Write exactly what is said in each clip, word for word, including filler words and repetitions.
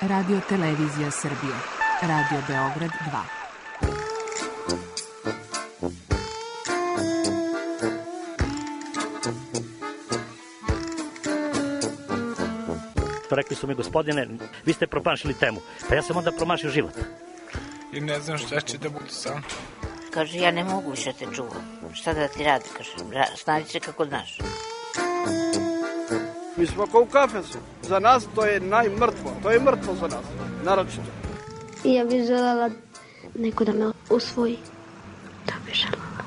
Radio Televizija Srbije. Radio Beograd dva. Rekli su mi, gospodine, vi ste promašili temu. Pa ja sam onda promašio život. I ne znam šta će da budu sam. Kaže, ja ne mogu više te čuvam. Šta da ti radi, kaže, snađi se kako znaš. Mi smo kao u kafesu. Za nas to je najmrtvo. To je mrtvo za nas, naročito. I ja bih želela neko da me usvoji. To bih želela.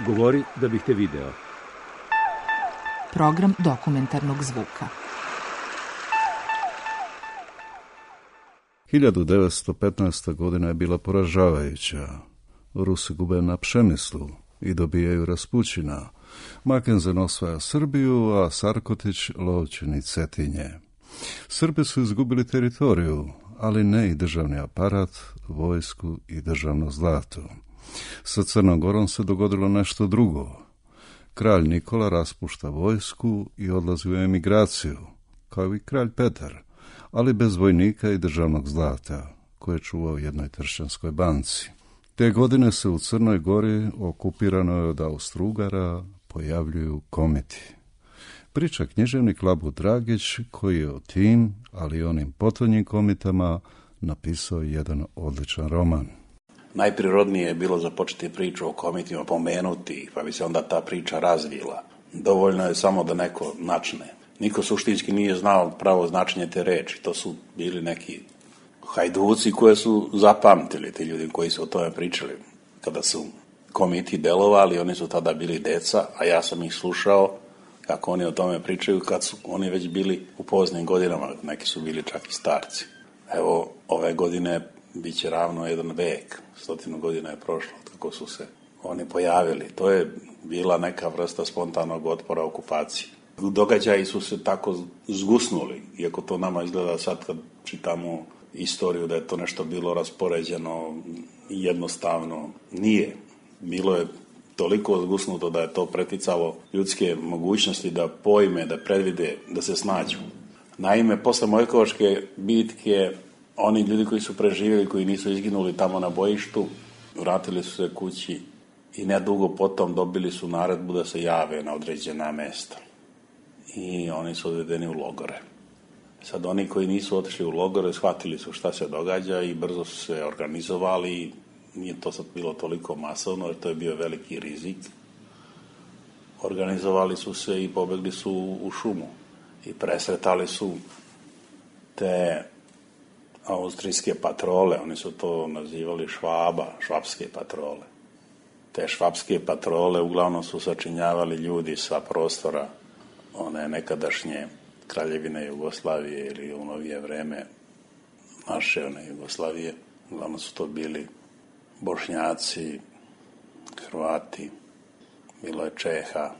Govori da bih te video. Program dokumentarnog zvuka. hiljadu devetsto petnaesta. godina je bila poražavajuća. Rusi gube na Pšemislu i dobijaju Raspućina. Mackensen osvaja Srbiju, a Sarkotić Lovćen i Cetinje. Srbi su izgubili teritoriju, ali ne i državni aparat, vojsku i državno zlato. Sa Crnom Gorom se dogodilo nešto drugo. Kralj Nikola raspušta vojsku i odlazi u emigraciju, kao i kralj Petar, ali bez vojnika i državnog zlata, koje je čuvao u jednoj tršćanskoj banci. Te godine se u Crnoj Gori, okupiranoj od Austro-Ugara, pojavljuju komiti. Priča književnik Labud Dragić, koji je o tim, ali i onim potonjim komitama, napisao jedan odličan roman. Najprirodnije je bilo započeti priču o komitima, pomenuti ih, pa bi se onda ta priča razvila. Dovoljno je samo da neko načne. Niko suštinski nije znao pravo značenje te reči. To su bili neki hajduci koje su zapamtili, ti ljudi koji su o tome pričali. Kada su komiti delovali, oni su tada bili deca, a ja sam ih slušao kako oni o tome pričaju kad su oni već bili u poznim godinama, neki su bili čak i starci. Evo, ove godine bit će ravno jedan vek, stotinu godina je prošlo kako su se oni pojavili. To je bila neka vrsta spontanog otpora okupaciji. Događaji su se tako zgusnuli, iako to nama izgleda sad kad čitamo istoriju da je to nešto bilo raspoređeno jednostavno. Nije. Bilo je toliko zgusnuto da je to preticalo ljudske mogućnosti da pojme, da predvide, da se snađu. Naime, posle Mojkovačke bitke, oni ljudi koji su preživjeli, koji nisu izginuli tamo na bojištu, vratili su se kući i nedugo potom dobili su naredbu da se jave na određena mesta. I oni su odvedeni u logore. Sad oni koji nisu otišli u logore shvatili su šta se događa i brzo su se organizovali. Nije to sad bilo toliko masovno jer to je bio veliki rizik. Organizovali su se i pobegli su u šumu i presretali su te austrijske patrole, oni su to nazivali Švaba, švapske patrole. Te švapske patrole uglavnom su sačinjavali ljudi sa prostora one nekadašnje kraljevine Jugoslavije ili u novije vreme naše one Jugoslavije. Uglavnom su to bili Bošnjaci, Hrvati, bilo je Čeha,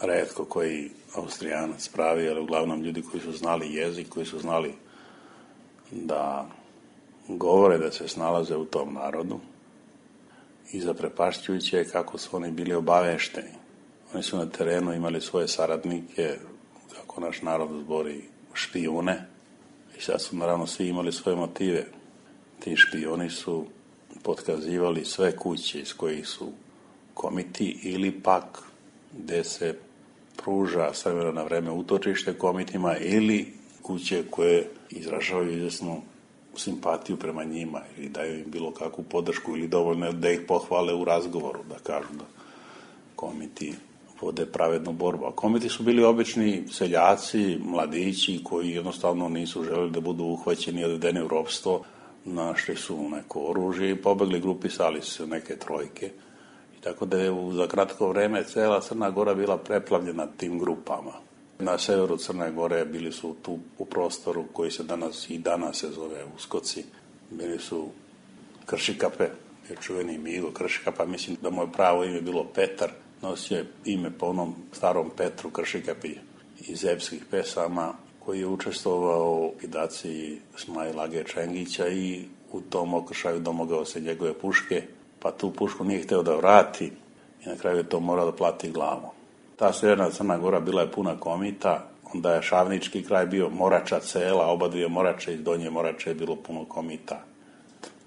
retko koji Austrijanac pravi, ali uglavnom ljudi koji su znali jezik, koji su znali da govore, da se snalaze u tom narodu. I zaprepašćujuće je kako su oni bili obavešteni. Oni su na terenu imali svoje saradnike, kako naš narod zbori, špijune. I sad su naravno svi imali svoje motive. Ti špijuni su potkazivali sve kuće iz kojih su komiti ili pak gde se pruža s vremena na vreme utočište komitima ili kuće koje izražavaju izvesnu simpatiju prema njima ili daju im bilo kakvu podršku ili dovoljno da ih pohvale u razgovoru, da kažu da komiti vode pravednu borbu. A komiti su bili obični seljaci, mladići koji jednostavno nisu želeli da budu uhvaćeni i odvedeni u ropstvo, našli su neko oružje i pobegli, grupisali su se neke trojke. I tako da je za kratko vreme cela Crna Gora bila preplavljena tim grupama. Na severu Crne Gore bili su tu u prostoru koji se danas i danas se zove Uskoci. Bili su Kršikape, je čuveni Migo Kršikapa, mislim da mu je pravo ime bilo Petar, nosio je ime po onom starom Petru Kršikapi iz epskih pesama, koji je učestvovao u likvidaciji Smajla Age Čengića i u tom okršaju domogao se njegove puške, pa tu pušku nije hteo da vrati i na kraju je to morao da plati glavom. Ta severna Crna Gora bila je puna komita, onda je Šavnički kraj bio Morača cela, oba dvije Morače, iz Donje Morače je bilo puno komita.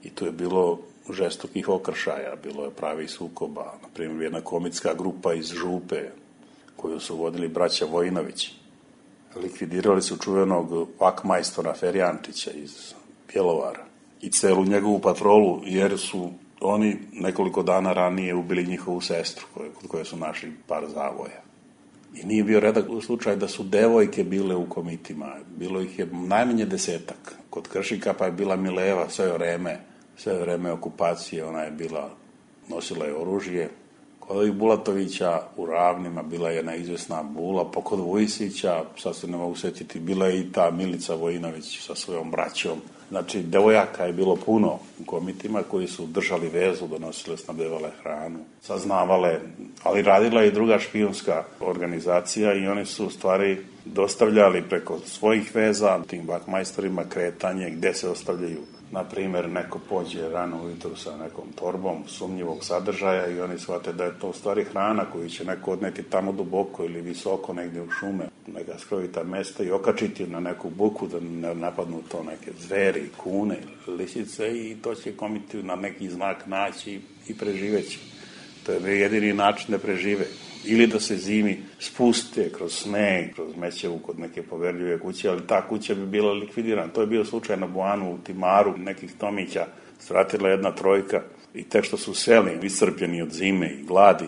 I tu je bilo žestokih okršaja, bilo je pravi sukoba. Naprimjer, jedna komitska grupa iz Župe, koju su vodili braća Vojinović. Likvidirali su čuvenog vakmajstora Ferjančića iz Bjelovara i celu njegovu patrolu, jer su oni nekoliko dana ranije ubili njihovu sestru, koje, kod koje su našli par zavoja. I nije bio redak u slučaju da su devojke bile u komitima. Bilo ih je najmanje desetak. Kod Kršika pa je bila Mileva sve vreme, sve vreme okupacije, ona je bila, nosila je oružje. Kod ovih Bulatovića u Ravnima bila je jedna izvesna Bula, pa kod Vujisića, sad se ne mogu sjetiti, bila je i ta Milica Vojinović sa svojom braćom. Znači, devojaka je bilo puno u komitima koji su držali vezu, donosile, snabdevale hranu, saznavale, ali radila je i druga špijunska organizacija i oni su u stvari dostavljali preko svojih veza tim vakmajstorima kretanje gde se ostavljaju. Na primjer, neko pođe rano ujutru sa nekom torbom sumnjivog sadržaja i oni shvate da je to u stvari hrana koju će neko odneti tamo duboko ili visoko negdje u šume, neka skrovita mesta i okačiti na neku buku da ne napadnu to neke zveri, kune, lisice i to će komiti na neki znak naći i preživeći. To je jedini način da prežive. Ili da se zimi spuste kroz sneg, kroz Mećevu kod neke poverljive kuće, ali ta kuća bi bila likvidirana. To je bio slučaj na Boanu u Timaru, nekih Tomića, svratila jedna trojka i tek što su seli, iscrpljeni od zime i gladi,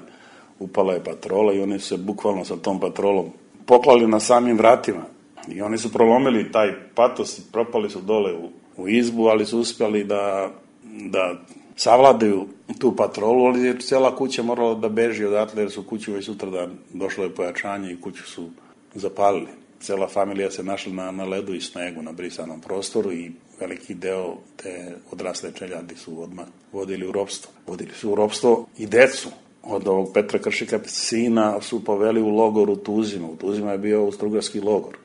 upala je patrola i oni su se bukvalno sa tom patrolom poklali na samim vratima. I oni su prolomili taj patos i propali su dole u, u izbu, ali su uspjeli da, da savladaju tu patrolu, ali je cijela kuća morala da beži odatle, jer su kuću već sutradan došlo je pojačanje i kuću su zapalili. Cijela familija se našla na, na ledu i snegu, na brisanom prostoru i veliki deo te odrasle čeljadi su odmah vodili u ropstvo. Vodili su u ropstvo i decu. Od ovog Petra Kršika sina su poveli u logor u Tuzima. U Tuzima je bio austrougarski logor.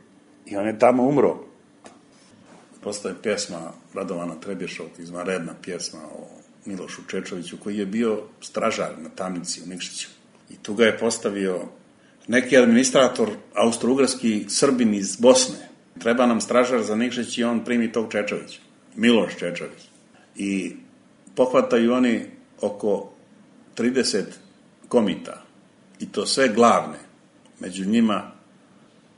I on je tamo umro. Postoje pjesma Radovana Trebješovog, izvanredna pjesma o Milošu Čečoviću, koji je bio stražar na tamnici u Nikšiću. I tu ga je postavio neki administrator, austrougarski Srbin iz Bosne. Treba nam stražar za Nikšić i on primi tog Čečovića. Miloš Čečović. I pohvataju oni oko trideset komita. I to sve glavne. Među njima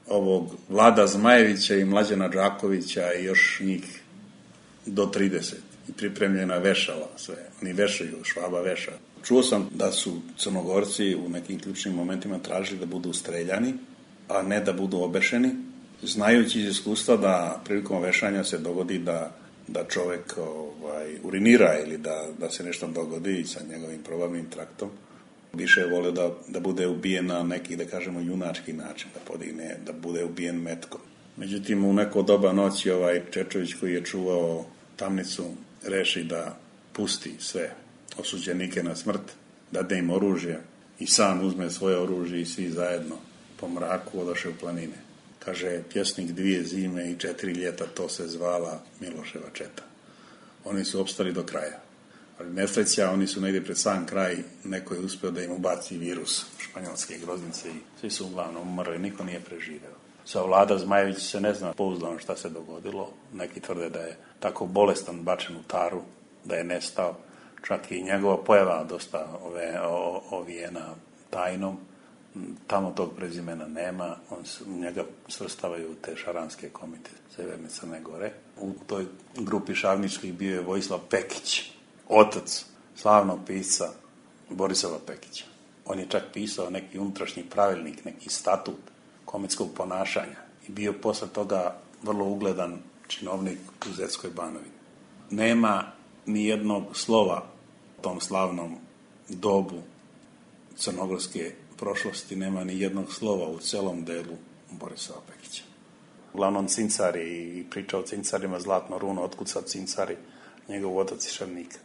ovog Vlada Zmajevića i Mlađana Đakovića i još njih do trideset. I pripremljena vešala sve. Oni vešaju, Švaba veša. Čuo sam da su Crnogorci u nekim ključnim momentima tražili da budu streljani, a ne da budu obešeni, znajući iz iskustva da prilikom vešanja se dogodi da, da čovek ovaj, urinira ili da, da se nešto dogodi sa njegovim probavnim traktom. Više je volio da, da bude ubijen na neki, da kažemo, junački način, da podigne, da bude ubijen metkom. Međutim, u neko doba noći ovaj Čečović koji je čuvao tamnicu reši da pusti sve osuđenike na smrt, dade im oružje i sam uzme svoje oružje i svi zajedno po mraku odoše u planine. Kaže, pjesnik dvije zime i četiri ljeta, to se zvala Miloševa četa. Oni su opstali do kraja. Ali nesreća, oni su negdje pred sam kraj, neko je uspio da im ubaci virus španjolske groznice i svi su uglavnom umrli, niko nije preživeo. Sa Vlada Zmajević se ne zna pouzdano šta se dogodilo. Neki tvrde da je tako bolestan bačen u taru, da je nestao. Čak i njegova pojava dosta ove, o, ovijena tajnom. Tamo tog prezimena nema. On se, njega svrstavaju u te šaranske komite Severne Crne Gore. U toj grupi šavničkih bio je Vojislav Pekić, otac slavnog pisca Borisova Pekića. On je čak pisao neki unutrašnji pravilnik, neki statut komitskog ponašanja i bio posle toga vrlo ugledan činovnik u Zetskoj Banovini. Nema ni jednog slova o tom slavnom dobu crnogorske prošlosti, nema ni jednog slova u celom delu Borisova Pekića. Uglavnom cincari i priča o cincarima, zlatno runo, otkud sad cincari, njegov otac iz Šarnika.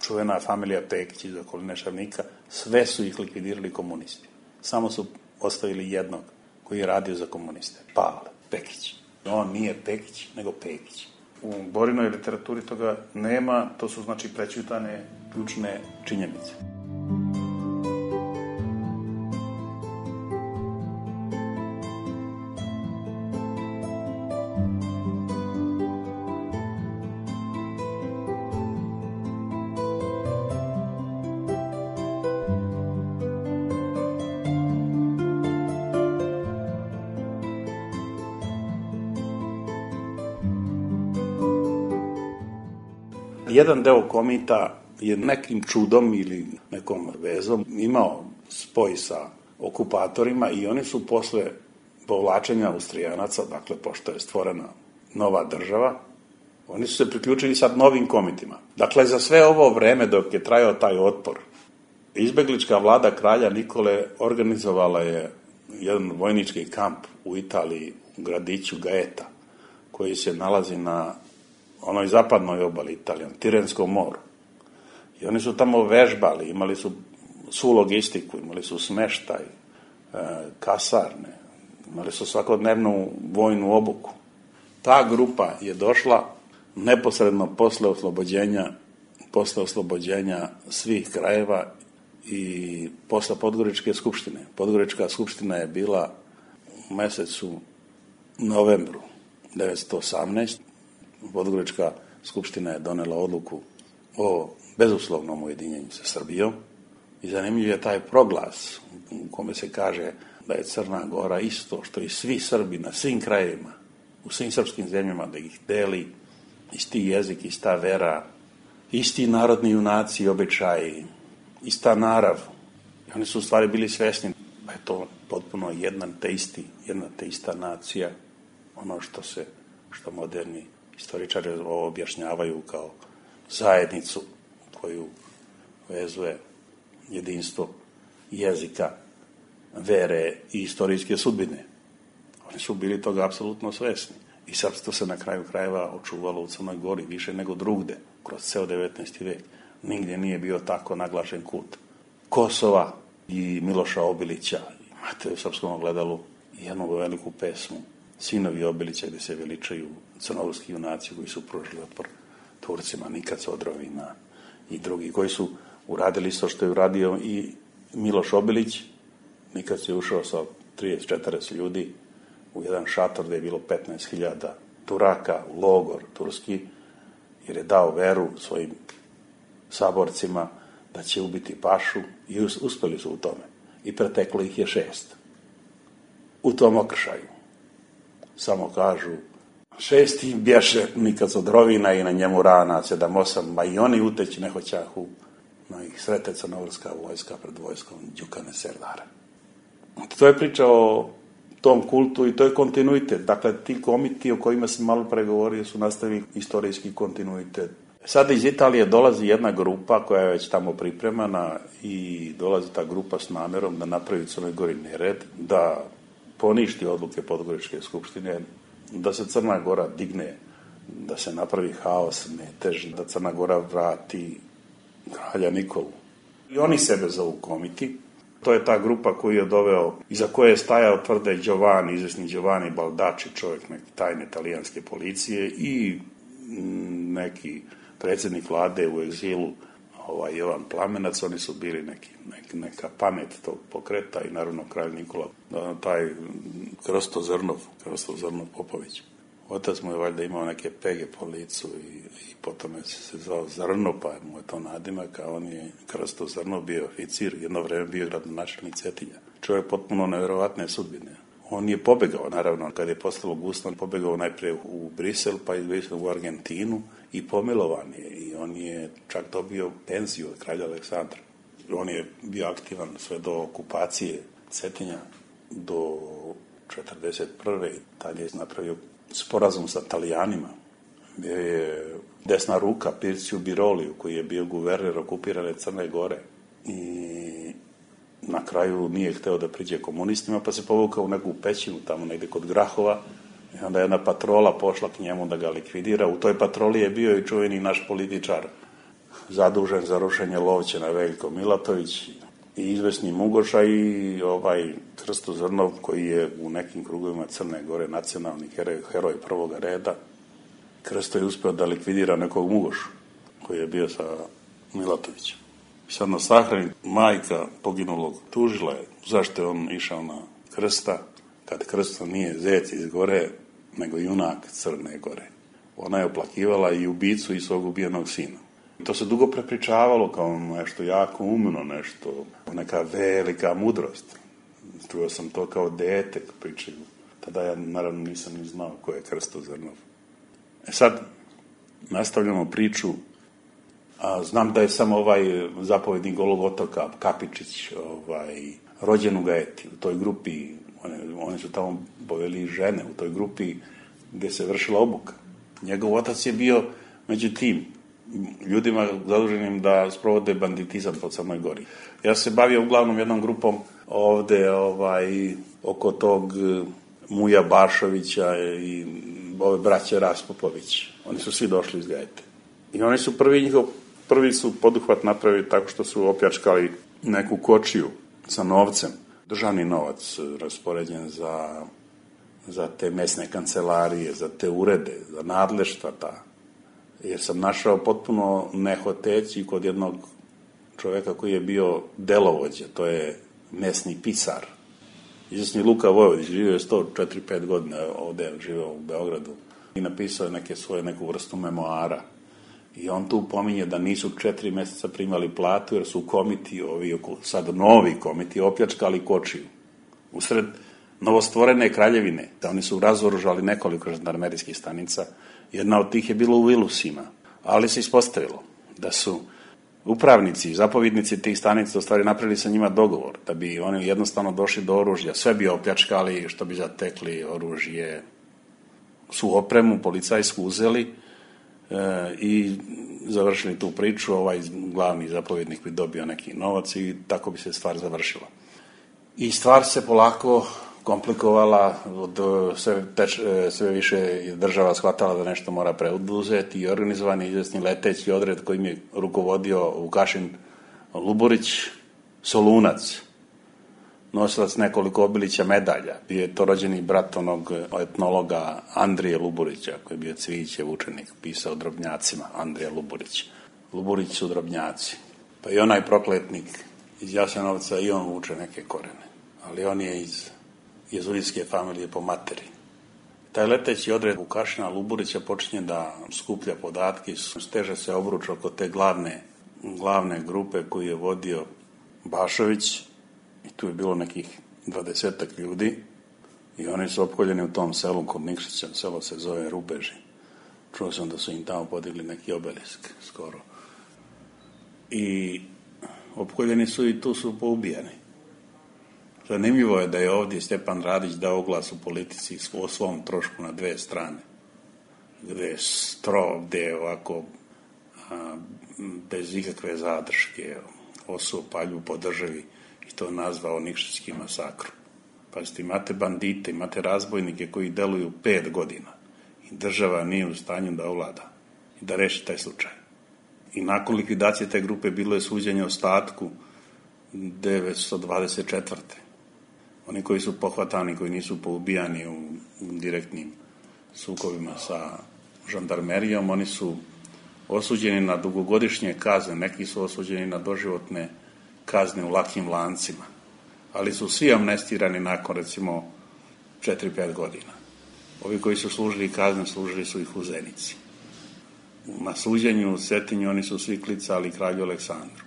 Čuvena familija Pekić iz okoline Šarnika, sve su ih likvidirali komunisti. Samo su ostavili jednog koji je radio za komuniste. Pavle Pekić. On nije Pekić, nego Pekić. U Borinoj literaturi toga nema, to su znači prećutane ključne činjenice. jedan deo komita je nekim čudom ili nekom vezom imao spoj sa okupatorima i oni su posle povlačenja Austrijanaca, dakle, pošto je stvorena nova država, oni su se priključili sad novim komitima. Dakle, za sve ovo vreme dok je trajao taj otpor, izbeglička vlada kralja Nikole organizovala je jedan vojnički kamp u Italiji, u gradiću Gaeta, koji se nalazi na onoj zapadnoj obali Italije, na Tirenskom moru. I oni su tamo vežbali, imali su svu logistiku, imali su smeštaj, e, kasarne, imali su svakodnevnu vojnu obuku. Ta grupa je došla neposredno posle oslobođenja, posle oslobođenja svih krajeva i posle Podgoričke skupštine. Podgorička skupština je bila u mesecu novembru devetsto osamnaeste. Podgorička skupština je donela odluku o bezuslovnom ujedinjenju sa Srbijom i zanimljiv je taj proglas u kome se kaže da je Crna Gora isto što i svi Srbi na svim krajevima, u svim srpskim zemljama, da ih deli isti jezik, ista vera, isti narodni junaci i običaji, ista narav. I oni su u stvari bili svesni da je to potpuno jedna te isti, jedna te ista nacija, ono što se, što moderni istoričari objašnjavaju kao zajednicu koju vezuje jedinstvo jezika, vere i istorijske sudbine. Oni su bili toga apsolutno svesni. I srpstvo se na kraju krajeva očuvalo u Crnoj Gori više nego drugde, kroz ceo devetnaesti vek. Nigdje nije bio tako naglašen kult Kosova i Miloša Obilića. Imate u Srpskom ogledalu jednu veliku pesmu Sinovi Obilića, gde se veličaju crnogorski junaci koji su pružili otpor Turcima, Nikad Odrovina i drugi, koji su uradili isto što je uradio i Miloš Obilić. Nikad je ušao sa trideset četrdeset ljudi u jedan šator gde je bilo petnaest hiljada Turaka, u logor turski, jer je dao veru svojim saborcima da će ubiti pašu i uspeli su u tome. I preteklo ih je šest. U tom okršaju. Samo kažu, šesti bješe Nikad Odrovina i na njemu rana sedam osam, ma i oni uteći ne hoćahu, no ih srete crnogorska vojska pred vojskom Đukane Serdara. To je priča o tom kultu i to je kontinuitet. Dakle, ti komiti o kojima sam malo pregovorio su nastavili istorijski kontinuitet. Sada iz Italije dolazi jedna grupa koja je već tamo pripremana i dolazi ta grupa s namerom da napravi Crnoj Gori nered, da poništi odluke Podgoričke skupštine, da se Crna Gora digne, da se napravi haos, metež, da Crna Gora vrati kralja Nikolu. I oni sebe zovu komiti. To je ta grupa koju je doveo, iza koje je stajao tvrde Giovanni, izvesni Giovanni Baldacci, čovjek neke tajne italijanske policije i neki predsjednik vlade u egzilu, ovaj Jovan Plamenac. Oni su bili neki, neki, neka pamet tog pokreta i naravno kralj Nikola, taj Krsto Zrnov, Krsto Zrnov Popović. Otac mu je valjda imao neke pege po licu i, i potom je se zvao Zrno, pa mu je to nadimak, a on je Krsto Zrno bio oficir, jedno vreme bio gradonačelnik Cetinja. Čovjek potpuno nevjerovatne sudbine. On je pobegao, naravno, kad je postalo gusno, pobegao najprije u Brisel, pa iz Brisela u Argentinu i pomilovan je. I on je čak dobio penziju od kralja Aleksandra. On je bio aktivan sve do okupacije Cetinja, do četrdeset prve Tad je napravio sporazum sa Italijanima. Bio je desna ruka Pirciju Biroliju, koji je bio guverner okupirane Crne Gore. I na kraju nije hteo da priđe komunistima, pa se povukao u neku pećinu tamo negde kod Grahova. I onda je jedna patrola pošla k njemu da ga likvidira. U toj patroli je bio i čuveni naš političar zadužen za rušenje Lovćena, Veljko Milatović, i izvesni Mugoša i ovaj Krsto Zrnov, koji je u nekim krugovima Crne Gore nacionalni heroj, heroj prvoga reda. Krsto je uspeo da likvidira nekog Mugošu koji je bio sa Milatovićem. Sad na sahrani majka poginulog tužila je zašto je on išao na Krsta, kad Krsto nije zec iz Gore, nego junak Crne Gore. Ona je oplakivala i ubicu i svog ubijenog sina. To se dugo prepričavalo kao nešto jako umno, nešto, neka velika mudrost. Čuo sam to kao dete pričaju. Tada ja naravno nisam ni znao ko je Krsto Zrnov. E sad nastavljamo priču A znam da je samo ovaj zapovjednik Golog otoka, Kapičić, ovaj, rođen u Gajeti, u toj grupi, one, one su tamo poveli žene, u toj grupi gdje se vršila obuka. Njegov otac je bio među tim ljudima zaduženim da sprovode banditizam po Crnoj Gori. Ja se bavio uglavnom jednom grupom ovde ovaj, oko tog Muja Bašovića i ove braće Raspopović. Oni su svi došli iz Gajete. I oni su prvi njihov, prvi su poduhvat napravili tako što su opljačkali neku kočiju sa novcem. Državni novac raspoređen za, za te mesne kancelarije, za te urede, za nadleštva ta. Jer sam našao potpuno nehoteći kod jednog čoveka koji je bio delovođa, to je mesni pisar. Izvesni Luka Vojvodić, živio je sto četiri pet godina ovde, živio u Beogradu i napisao je neke svoje, neku vrstu memoara. I on tu pominje da nisu četiri meseca primali platu jer su komiti, ovi sad novi komiti, opljačkali kočiju. Usred novostvorene kraljevine, da oni su razoružali nekoliko žandarmerijskih stanica, jedna od tih je bila u Vilusima, ali se ispostavilo da su upravnici, zapovjednici tih stanica u stvari napravili sa njima dogovor, da bi oni jednostavno došli do oružja, sve bi opljačkali, što bi zatekli oružje, su opremu policajsku uzeli e, i završili tu priču, ovaj glavni zapovjednik bi dobio neki novac i tako bi se stvar završila. I stvar se polako komplikovala, od, sve, teč, sve više država shvatala da nešto mora preuzeti i organizovan je izvesni leteći odred kojim je rukovodio Vukašin Luburić, Solunac, nosilac nekoliko Obilića medalja. Bio je to rođeni brat onog etnologa Andrije Luburića, koji je bio Cvijićev učenik, pisao o drobnjacima, Andrija Luburić. Luburić su drobnjaci. Pa i onaj prokletnik iz Jasenovca, i on vuče neke korene, ali on je iz jezuitske familije po materi. Taj leteći odred Vukašina Luburića počinje da skuplja podatke, steže se obruč oko te glavne, glavne grupe koju je vodio Bašović i tu je bilo nekih dvadesetak ljudi i oni su opkoljeni u tom selu kod Nikšića, selo se zove Rubeži. Čuo sam da su im tamo podigli neki obelisk skoro. I opkoljeni su i tu su poubijani. Zanimljivo je da je ovdje Stjepan Radić dao glas u politici o svom trošku na dve strane, gde je stro, gde je ovako a, bez ikakve zadrške osuo paljbu po državi i to nazvao Nikšićki masakr. Pazite, imate bandite, imate razbojnike koji deluju pet godina i država nije u stanju da ovlada i da reši taj slučaj. I nakon likvidacije te grupe bilo je suđenje ostatku devetsto dvadeset četvrte Oni koji su pohvatani, koji nisu poubijani u direktnim sukobima sa žandarmerijom, oni su osuđeni na dugogodišnje kazne, neki su osuđeni na doživotne kazne u lakim lancima, ali su svi amnestirani nakon recimo četiri pet godina. Ovi koji su služili kazne, služili su ih u Zenici. Na suđenju u Cetinju oni su svi klicali kralju Aleksandru.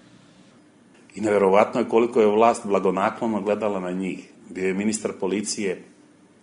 I neverovatno je koliko je vlast blagonaklono gledala na njih. Bio je ministar policije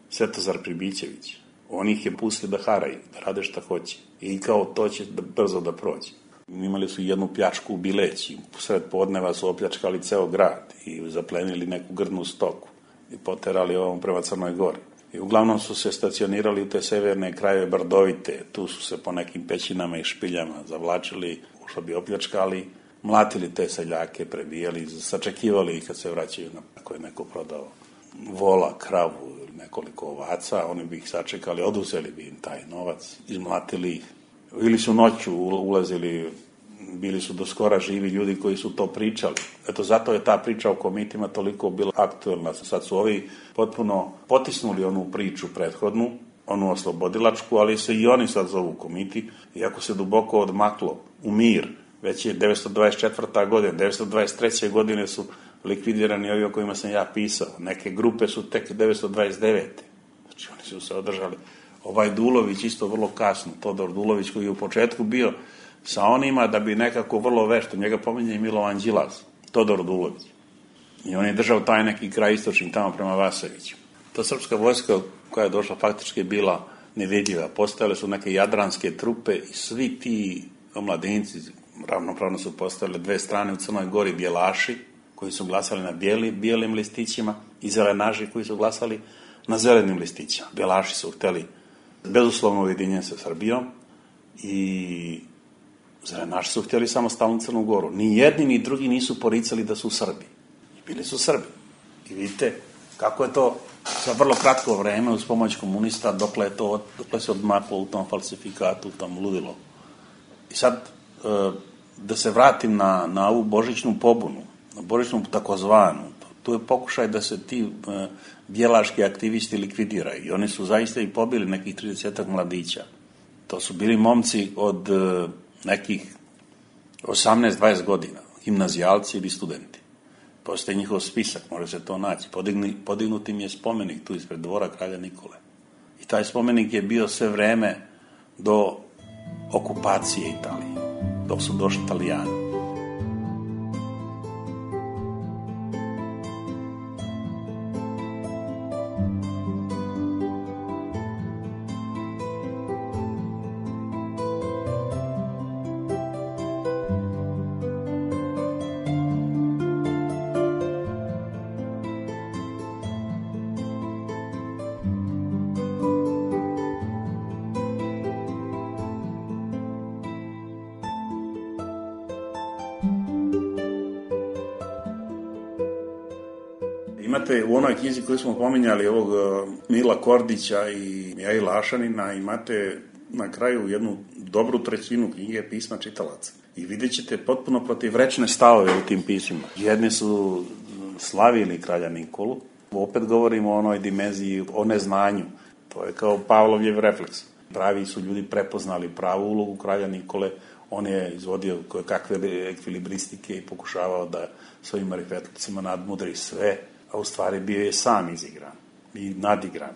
Svetozar Pribićević. On ih je pustio da haraju, da rade šta hoće. I kao to će da, brzo da prođe. Imali su jednu pljačku u Bileći. Sred podneva su opljačkali ceo grad i zaplenili neku grdnu stoku i poterali ovom prema Crnoj Gori. I uglavnom su se stacionirali u te severne krajeve Brdovite. Tu su se po nekim pećinama i špiljama zavlačili, što bi opljačkali, mlatili te seljake, prebijali, sačekivali ih kad se vraćaju na ako je neko prodao vola, kravu ili nekoliko ovaca, oni bi ih sačekali, oduzeli bi im taj novac, izmlatili ih. Ili su noću ulazili, bili su do skora živi ljudi koji su to pričali. Eto, zato je ta priča o komitima toliko bila aktuelna. Sad su ovi potpuno potisnuli onu priču prethodnu, onu oslobodilačku, ali se i oni sad zovu komiti, iako se duboko odmaklo u mir. Već je devetsto dvadeset četvrta godina, devetsto dvadeset treće godine su likvidirani ovi o kojima sam ja pisao. Neke grupe su tek devetsto dvadeset devete Znači, oni su se održali. Ovaj Dulović isto vrlo kasno, Todor Dulović koji je u početku bio sa onima da bi nekako vrlo vešto, njega pominje i Milovan Đilas, Todor Dulović. I on je držao taj neki kraj istočni tamo prema Vaseviću. Ta srpska vojska koja je došla faktički je bila nevidljiva. Postojale su neke jadranske trupe i svi ti omladinci, ravnopravno su postavile dve strane u Crnoj Gori, bijelaši koji su glasali na bijeli, bijelim listićima i zelenaši koji su glasali na zelenim listićima. Bijelaši su hteli bezuslovno ujedinjenje sa Srbijom i zelenaši su htjeli samostalnu Crnu Goru. Ni jedni ni drugi nisu poricali da su Srbi. I bili su Srbi. I vidite kako je to za vrlo kratko vreme uz pomoć komunista dokle, je to, dokle se odmaklo u tom falsifikatu, u tom ludilo. I sad, da se vratim na, na ovu božićnu pobunu, na božićnu takozvanu, tu je pokušaj da se ti bijelaški aktivisti likvidiraju. I oni su zaista i pobili nekih tridesetak mladića. To su bili momci od nekih osamnaest dvadeset godina, gimnazijalci ili studenti. Postoji njihov spisak, može se to naći. Podigni, podignuti im je spomenik tu ispred dvora kralja Nikole. I taj spomenik je bio sve vreme do okupacije Italije, dok su došli Italijani. Imate u onoj knjizi koju smo pominjali ovog Mila Kordića i Mihajla Ašanina, imate na kraju jednu dobru trećinu knjige pisma čitalaca. I vidjet ćete potpuno protivrečne stavove u tim pismima. Jedni su slavili kralja Nikolu, opet govorimo o onoj dimenziji, o neznanju. To je kao Pavlovljev refleks. Pravi su ljudi prepoznali pravu ulogu kralja Nikole, on je izvodio kakve ekvilibristike i pokušavao da svojim marifetlicima nadmudri sve, a u stvari bio je sam izigran i nadigran.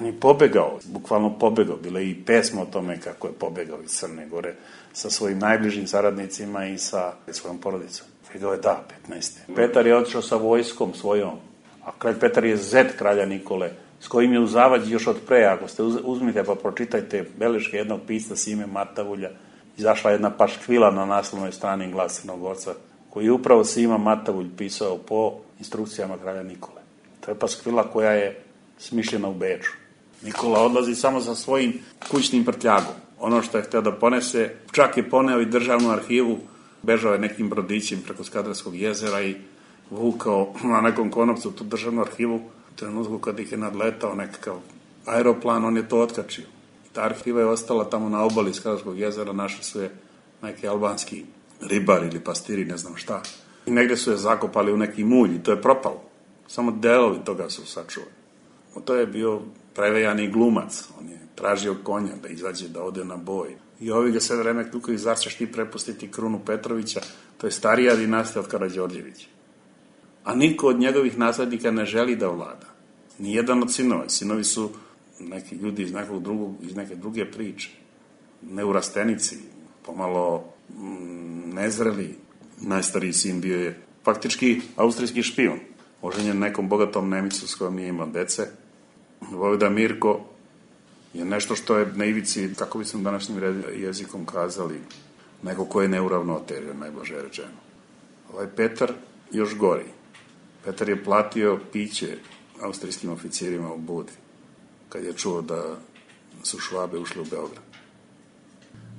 On je pobegao, bukvalno pobegao, bila je i pesma o tome kako je pobegao iz Crne Gore sa svojim najbližim saradnicima i sa svojom porodicom. Figao je da, petnaeste. Petar je otišao sa vojskom svojom, a kralj Petar je zet kralja Nikole, s kojim je u zavađi još od pre, ako ste uzmite pa pročitajte beleške jednog pisca Sime Matavulja, izašla jedna paškvila na naslovnoj strani Glas Crnogorca, koji je upravo Sima Matavulj pisao po instrukcijama kralja Nikole. To je paskvila koja je smišljena u Beču. Nikola odlazi samo sa svojim kućnim prtljagom. Ono što je htio da ponese, čak je poneo i državnu arhivu, bežao je nekim brodićem preko Skadarskog jezera i vukao na nekom konopcu tu državnu arhivu. U trenutku kad ih je nadletao nekakav aeroplan, on je to otkačio. Ta arhiva je ostala tamo na obali Skadarskog jezera, našli su je neki albanski ribari ili pastiri, ne znam šta. I negde su je zakopali u neki mulj i to je propalo. Samo delovi toga su sačuvali. To je bio prevejani glumac. On je tražio konja da izađe, da ode na boj. I ovi ga sve vreme kukaju, zar ćeš ti prepustiti krunu Petrovića? To je starija dinastija od Karađorđevića. A niko od njegovih naslednika ne želi da vlada. Nijedan od sinova. Sinovi su neki ljudi iz nekog drugog, iz neke druge priče. Neurastenici, pomalo mm, nezreli. Najstariji sin bio je faktički austrijski špijun. Oženjen nekom bogatom Nemicu s kojom nije imao dece. Vojvoda Mirko je nešto što je na ivici, kako bi sam današnjim jezikom kazali, neko ko je neuravnotežio, najblaže rečeno. Ovaj Petar još gori. Petar je platio piće austrijskim oficirima u Budvi, kad je čuo da su Švabe ušli u Beograd.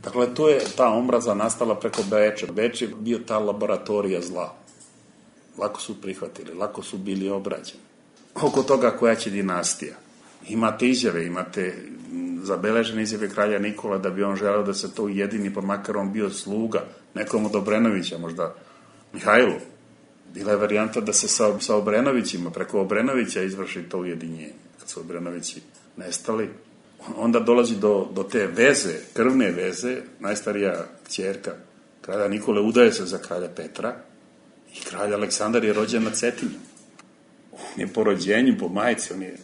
Dakle, to je ta omraza nastala preko Beča. Beč je bio ta laboratorija zla. Lako su prihvatili, lako su bili obrađeni. Oko toga koja će dinastija. Imate izjave, imate zabeležene izjave kralja Nikola da bi on želeo da se to ujedini, pa makar on bio sluga nekom od Obrenovića, možda Mihajlu. Bila je varijanta da se sa, sa Obrenovićima, preko Obrenovića izvrši to ujedinjenje. Kad su Obrenovići nestali, onda dolazi do, do te veze, krvne veze, najstarija kćerka kralja Nikole udaje se za kralja Petra i kralj Aleksandar je rođen na Cetinju. On je po rođenju, po majici, on je,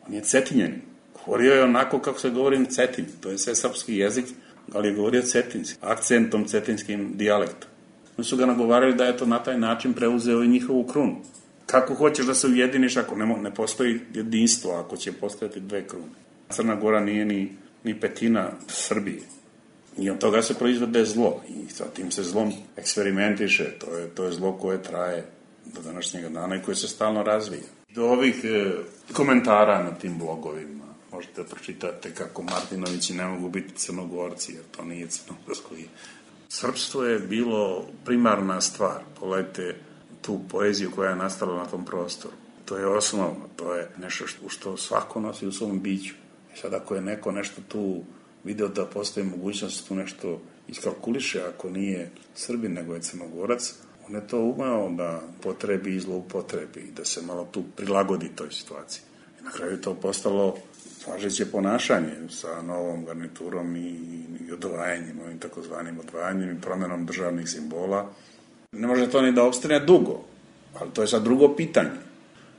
on je Cetinjanin. Govorio je onako kako se govori na Cetinju, to je sve srpski jezik, ali je govorio cetinski, akcentom cetinskim dijalektom. Oni su ga nagovarali da je to na taj način preuzeo i njihovu krunu. Kako hoćeš da se ujediniš ako ne, ne postoji jedinstvo, ako će postojati dve krune? Crna Gora nije ni, ni petina Srbije. I od toga se proizvode zlo. I sa tim se zlom eksperimentiše. To je, to je zlo koje traje do današnjega dana i koje se stalno razvija. Do ovih e, komentara na tim blogovima možete pročitati kako Martinovići ne mogu biti Crnogorci, jer to nije crnogorsko. Srpstvo je bilo primarna stvar. Pogledajte tu poeziju koja je nastala na tom prostoru. To je osnovno, to je nešto što, što svako nosi u svom biću. I sad ako je neko nešto tu video da postoji mogućnost tu nešto iskalkuliše, ako nije Srbin nego je Crnogorac, on je to umeo da potrebi i zloupotrebi i da se malo tu prilagodi toj situaciji. I na kraju je to postalo važeće ponašanje sa novom garniturom i, i odvajanjem, ovim takozvanim odvajanjem i promjenom državnih simbola. Ne može to ni da opstane dugo, ali to je sad drugo pitanje.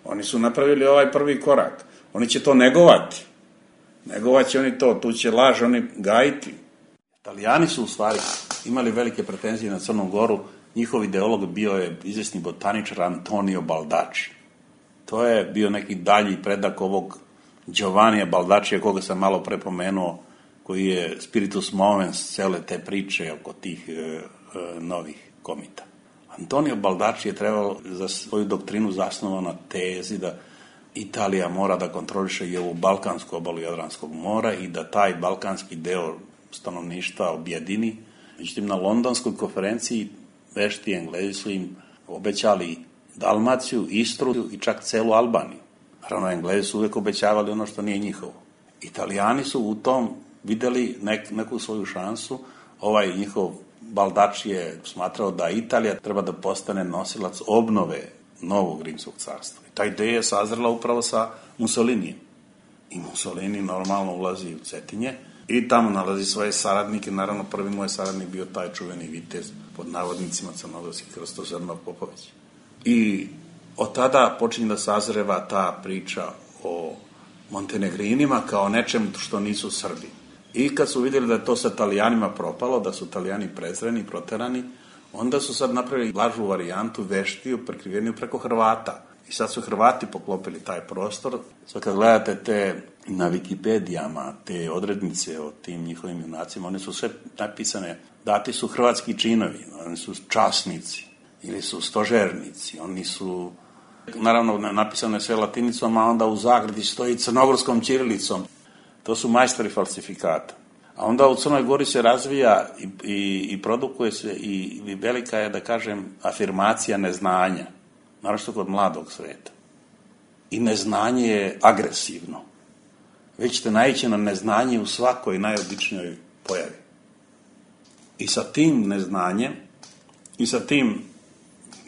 Oni su napravili ovaj prvi korak. Oni će to negovati. Negovat će oni to, tu će laž oni gajiti. Italijani su u stvari imali velike pretenzije na Crnu Goru. Njihov ideolog bio je izvesni botaničar Antonio Baldacci. To je bio neki dalji predak ovog Giovannija Baldaccija, koga sam malo prepomenuo, koji je spiritus movens cele te priče oko tih e, e, novih komita. Antonio Baldacci je trebalo za svoju doktrinu zasnovao na tezi da Italija mora da kontroliše i ovu balkansku obalu Jadranskog mora i da taj balkanski deo stanovništva objedini. Međutim, na londonskoj konferenciji vešti Englezi su im obećali Dalmaciju, Istru i čak celu Albaniju. Naravno, Englezi su uvijek obećavali ono što nije njihovo. Italijani su u tom videli nek, neku svoju šansu. Ovaj njihov Baldacci je smatrao da Italija treba da postane nosilac obnove novog rimskog carstva. I ta ideja je sazrela upravo sa Mussolinijem. I Mussolini normalno ulazi u Cetinje i tamo nalazi svoje saradnike. Naravno, prvi moj saradnik bio taj čuveni vitez pod navodnicima crnogorski Krstozrnov Popović. I od tada počinje da sazreva ta priča o Montenegrinima kao nečem što nisu Srbi. I kad su vidjeli da je to sa Italijanima propalo, da su Italijani prezreni, proterani, onda su sad napravili lažu varijantu, veštiju, prekriveniju preko Hrvata. I sad su Hrvati poklopili taj prostor. Sad kad gledate te na Wikipedijama, te odrednice o tim njihovim junacima, one su sve napisane, dati su hrvatski činovi, oni su časnici ili su stožernici, oni su, naravno napisano je sve latinicom, a onda u zagradi stoji crnogorskom ćirilicom. To su majstori falsifikata. A onda u Crnoj Gori se razvija i, i, i produkuje se i, i velika je, da kažem, afirmacija neznanja, naročito kod mladog sveta. I neznanje je agresivno. Vi ćete naići na neznanje u svakoj najobičnijoj pojavi. I sa tim neznanjem i sa tim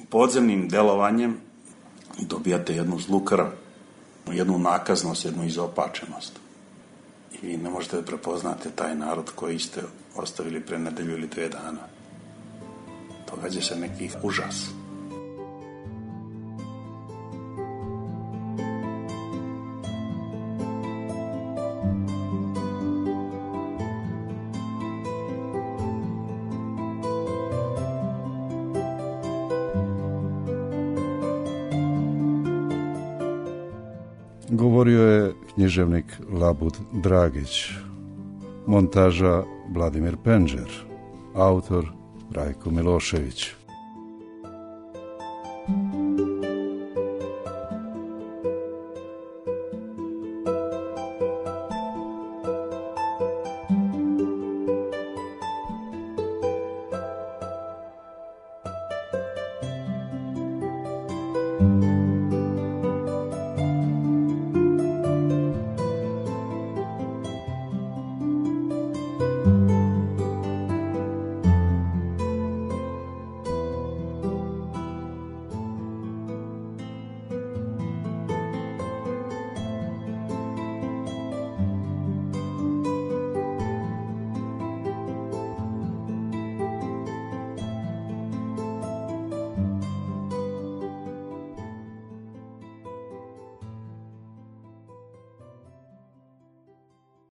podzemnim delovanjem dobijate jednu zlu krv, jednu nakaznost, jednu izopačenost. I vi ne možete da prepoznate taj narod koji ste ostavili pre nedelju ili dve dana. Događa se neki užas. Govorio je književnik Labud Dragić, montaža Vladimir Penđer, autor Rajko Milošević.